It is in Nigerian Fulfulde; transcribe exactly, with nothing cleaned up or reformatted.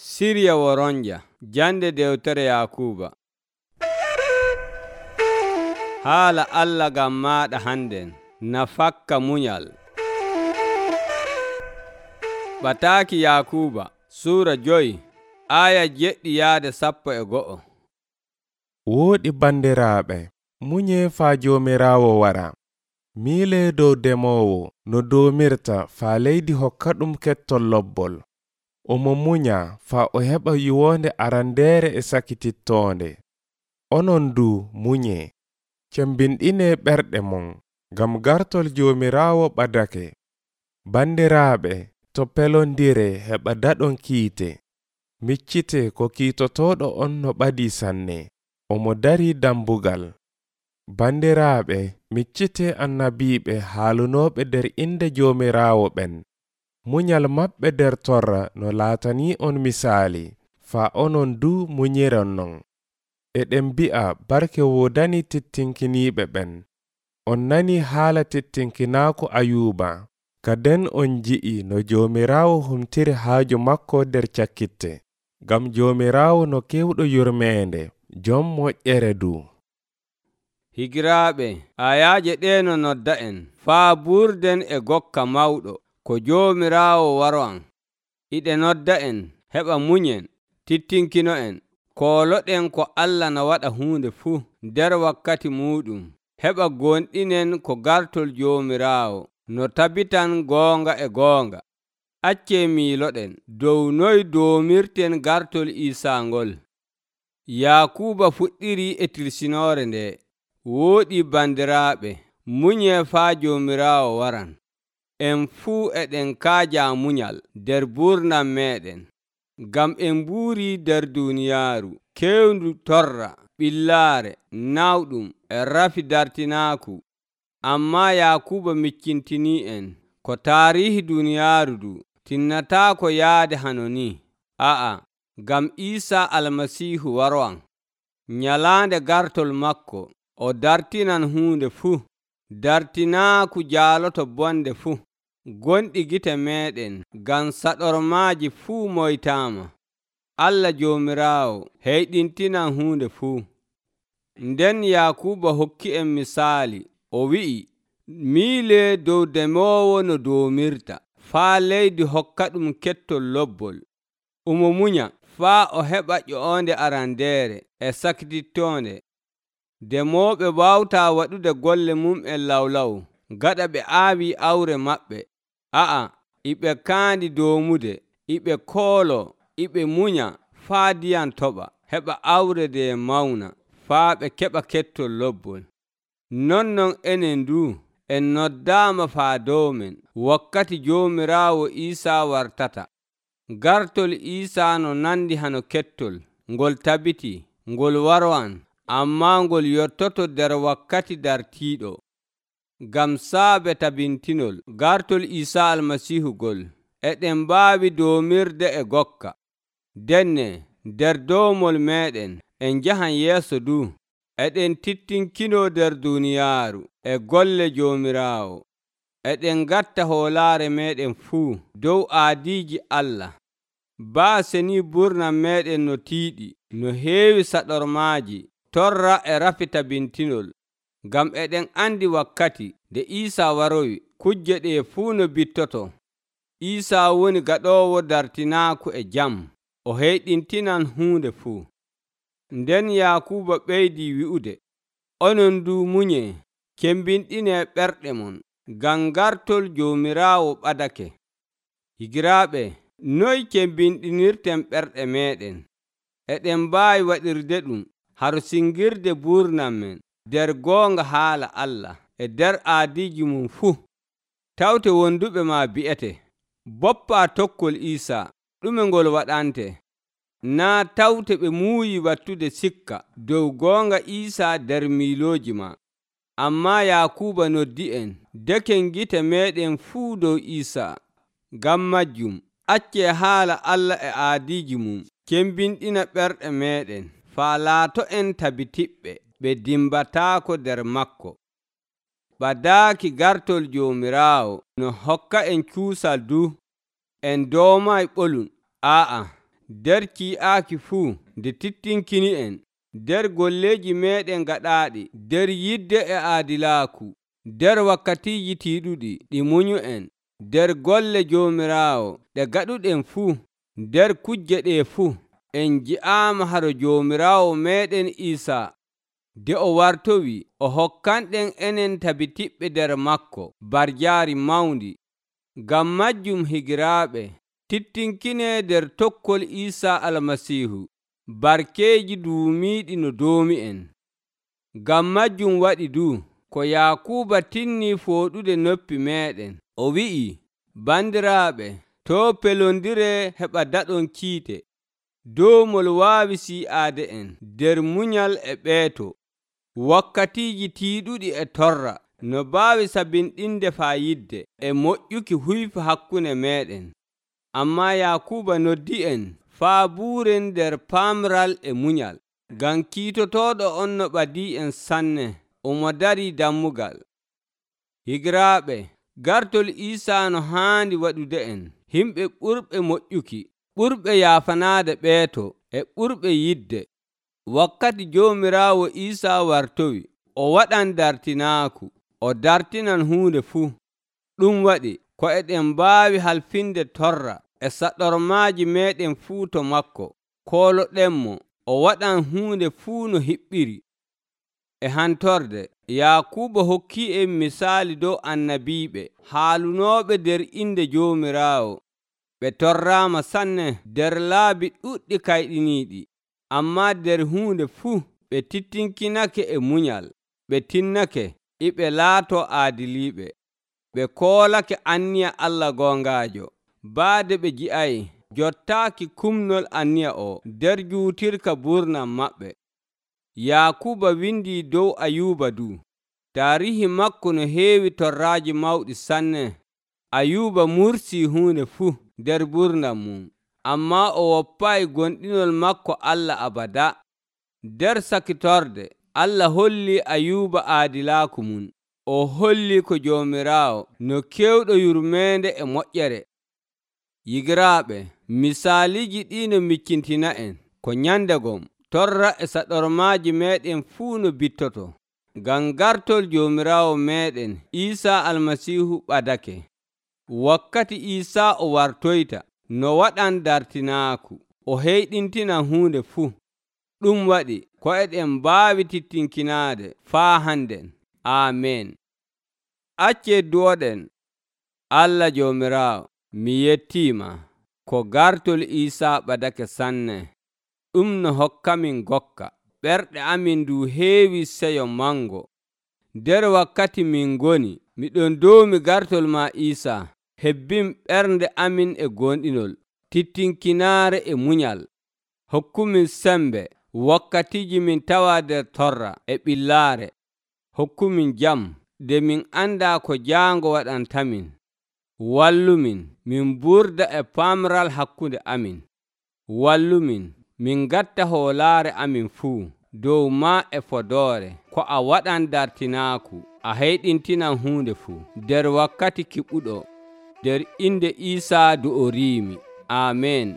Sirya woronja jande dewtere Yakuuba. Haala Allah gam maɗa handen na fakka munyal. Ɓataaki Yakuuba Suura joyi aya jeɗɗi yaade sappo e go'o. Wooɗi bandiraaɓe, munyee faa Joomiraawo wara. Miilee dow demoowo no doomirta faa leydi hokka ɗum kettol lobbol. Omo munya faa o heɓa yiwonde arandeere e sakitittoonde. Onon du munyee, cembinɗinee ɓerɗe mon, ngam gartol Joomiraawo ɓadake. Bandiraaɓe, to pelondire heɓa daɗon kiite. Miccite ko kiitotooɗo on no ɓadii sanne, omo darii dambugal. Bandiraaɓe, miccite annabiiɓe haalunooɓe nder inde Joomiraawo ɓen. Munyal maɓɓe nder torra no laatanii on misaali, faa onon du munyiron non. Eɗen mbi'a barke woodani tittinkiniiɓe ɓen. On nani haala tittinkinaaku Ayuuba, kaden on nji'i no Joomiraawo humtiri haaju makko nder cakkitte. Ngam Joomiraawo no kewɗo yurmeende, jom moƴƴere du. Higiraaɓe, ayaaje ɗee no nodda en faa burden e gokka mawɗo ko Joomiraawo waro'an. Iɗe nodda en heɓa munyen, tittinkino en, kooloɗen ko Allah na waɗa huunde fuu nder wakkati muuɗum. Heɓa gonɗinen ko gartol Joomiraawo no tabitan goonga e goonga. Accee miiloɗen dow noy doomirten gartol Iisaa ngol. Yakuuba fuɗɗiri e tirsinoore nde. Wooɗi bandiraaɓe, munyee faa Joomiraawo waran. En fuu eɗen kaaja munyal nder burnam meɗen, ngam en mbuuri nder duuniyaaru kewndu torra, ɓillaare, nawɗum e rafi dartinaaku. Ammaa Yakuuba miccintinii en ko taariihi duuniyaaru du tinnataako yaade hano ni. A'a, ngam Iisaa Almasiihu waro'an. Nyalaande gartol makko o dartinan huunde fuu, dartinaaku jaaloto bonde fuu. Gonɗi gite meɗen ngam saɗormaaji fuu moytaama. Allah Joomiraawo heyɗintinan huunde fuu. Nden Yakuuba hokki en misaali, o wi'i, miilee dow demoowo no doomirta, faa leydi hokka ɗum kettol lobbol. Omo munya faa o heɓa ƴo'onde arandeere e sakitittoonde. Demooɓe waawtaa waɗude golle mum'en lawlaw gaɗa ɓe aawi awre maɓɓe. A'a, iɓe kaandi doomude, iɓe koolo, iɓe munya faa ndiyam toɓa, heɓa awre nde mawna, faa ɓe keɓa kettol lobbol. Nonnon enen du en noddaama faa dow men wakkati Joomiraawo Iisaa wartata. Gartol Iisaa no nandi hano kettol, ngol tabiti, ngol waro'an, ammaa ngol yottoto nder wakkati dartiiɗo. Ngam saabe tabintinol gartol Iisaa Almasiihu gol, eɗen mbaawi doomirde e gokka. Denne nder dowmol meɗen en njahan yeeso du, eɗen tittinkinoo nder duuniyaaru e golle Joomiraawo. Eɗen ngatta hoolaare meɗen fuu dow aadiiji Allah. Baase ni burnam meɗen no tiiɗi, no heewi saɗormaaji, torra e rafi tabintinol. Ngam eɗen andi wakkati nde Iisaa waroyi, kuje ɗe fuu no bittoto. Iisaa woni gaɗoowo dartinaaku e jam, o heyɗintinan huunde fuu. Nden Yakuuba ɓeydii wi'ude, onon du munyee, cembinɗinee ɓerɗe mon, ngam gartol Joomiraawo ɓadake. Higiraaɓe, noy cembinɗinirten ɓerɗe meɗen? Eɗen mbaawi waɗirde ɗum haro singirde burnam men nder goonga haala Allah e nder aadiiji mum fuu. Tawte wonduɓe ma bi'ete, boppaa tokkol Iisaa, ɗume ngol waɗante? Naa tawte ɓe muuyi wattude sikka dow goonga Iisaa nder miilooji ma. Ammaa Yakuuba noddi en, deken gite meɗen fuu dow Iisaa. Ngam majjum, accee haala Allah e aadiiji mum, cembinɗina ɓerɗe meɗen, faa laato en tabitiɓɓe ɓe dimbataako nder makko. Ɓadaaki gartol Joomiraawo no hokka en cuusal du, en doomay ɓolum. Aa'a, nder ci'aaki fuu nde tittinkini en, nder golleeji meeɗen gaɗaaɗi nder yidde e aadilaaku, nder wakkatiiji tiiɗuɗi ɗi munyu en, nder golle Joomiraawo ɗe gaɗuɗen fuu, nder kuje ɗe fuu, en nji'aama haro Joomiraawo meeɗen Iisaa nde o wartowi o hokkanɗen enen tabitiɓɓe nder makko barjaari mawndi. Ngam majjum higiraaɓe, tittinkinee nder tokkol Iisaa Almasiihu, barkeeji duumiiɗi no doomi en. Ngam majjum waɗi du ko Yaakuuba tinnii fooɗude noppi meeɗen, o wi'i, bandiraaɓe, to' pelondiree heɓa daɗon kiite. Doomol waawi sii'aade en nder munyal e ɓeeto, wakkatiiji tiiɗuɗi e torra, no mbaawi sabinɗinde fayidde e moƴƴuki huyfa hakkunde meeɗen. Ammaa Yaakuuba noddi en faa buuren nder paamral e munyal, ngam kiitotooɗo on no ɓadii en sanne, omo darii dammugal. Higiraaɓe, gartol Iisaa no haandi waɗude en yimɓe ɓurɓe moƴƴuki, ɓurɓe yaafanaade ɓeeto e ɓurɓe yidde. Wakkati Joomiraawo Iisaa wartowi, o waɗan dartinaaku, o dartinan huunde fuu. Ɗum waɗi ko eɗen mbaawi halfinde torra e saɗormaaji meeɗen fuu to makko. Kooloɗenmo o waɗan huunde fuu no hiɓɓiri. E hantorde, Yaakuuba hokkii en misaali dow annabiiɓe haalunooɓe nder inde Joomiraawo. Ɓe torraama sanne nder laabi ɗuɗɗi kayɗiniiɗi, ammaa nder huunde fuu ɓe tittinkinake e munyal. Ɓe tinnake iɓe laatoo aadiliiɓe. Ɓe koolake anniya Allah goongaajo, baade ɓe nji'ay jottaaki kumnol anniya o nder juutirka burnam maɓɓe. Yaakuuba windii dow Ayuuba du. Taarihi makko no heewi torraaji mawɗi sanne. Ayuuba mursii huunde fuu nder burnam mum, ammaa o woppaayi gonɗinol makko Allah abada. Nder sakitorde, Allah hollii Ayuuba aadilaaku mum. O hollii ko Joomiraawo no keewɗo yurmeende e moƴƴere. Yigiraaɓe, misaaliiji ɗii no miccintina en ko nyandegom torra e saɗormaaji meeɗen fuu no bittoto, ngam gartol Joomiraawo meeɗen Iisaa Almasiihu ɓadake. Wakkati Iisaa o wartoyta, no waɗan dartinaaku, o heyɗintinan huunde fuu. Ɗum waɗi ko eɗen mbaawi tittinkinaade faa hannden. Aamen. Accee duwoɗen. Allah Joomiraawo, mi yettiima ko gartol Iisaa ɓadake sanne. Ɗum no hokkamin gokka. Ɓerɗe amin ndu heewi seyo mango. Nder wakkati min ngoni, miɗon doomi gartol ma Iisaa. Hebbin ɓernde amin e gonɗinol, tittinkinaare e munyal. Hokkumin sembe wakkatiiji min tawa nder torra e ɓillaare. Hokkumin jam nde min andaa ko jaango waɗantamin. Wallumin min burda e paamral hakkunde amin. Wallumin min gatta hoolaare amin fuu dow ma e fodoore, ko a waɗan dartinaaku, a heyɗintinan huunde fuu nder wakkati kiɓuɗo, nder inde Iisaa do o riimi. Aamen.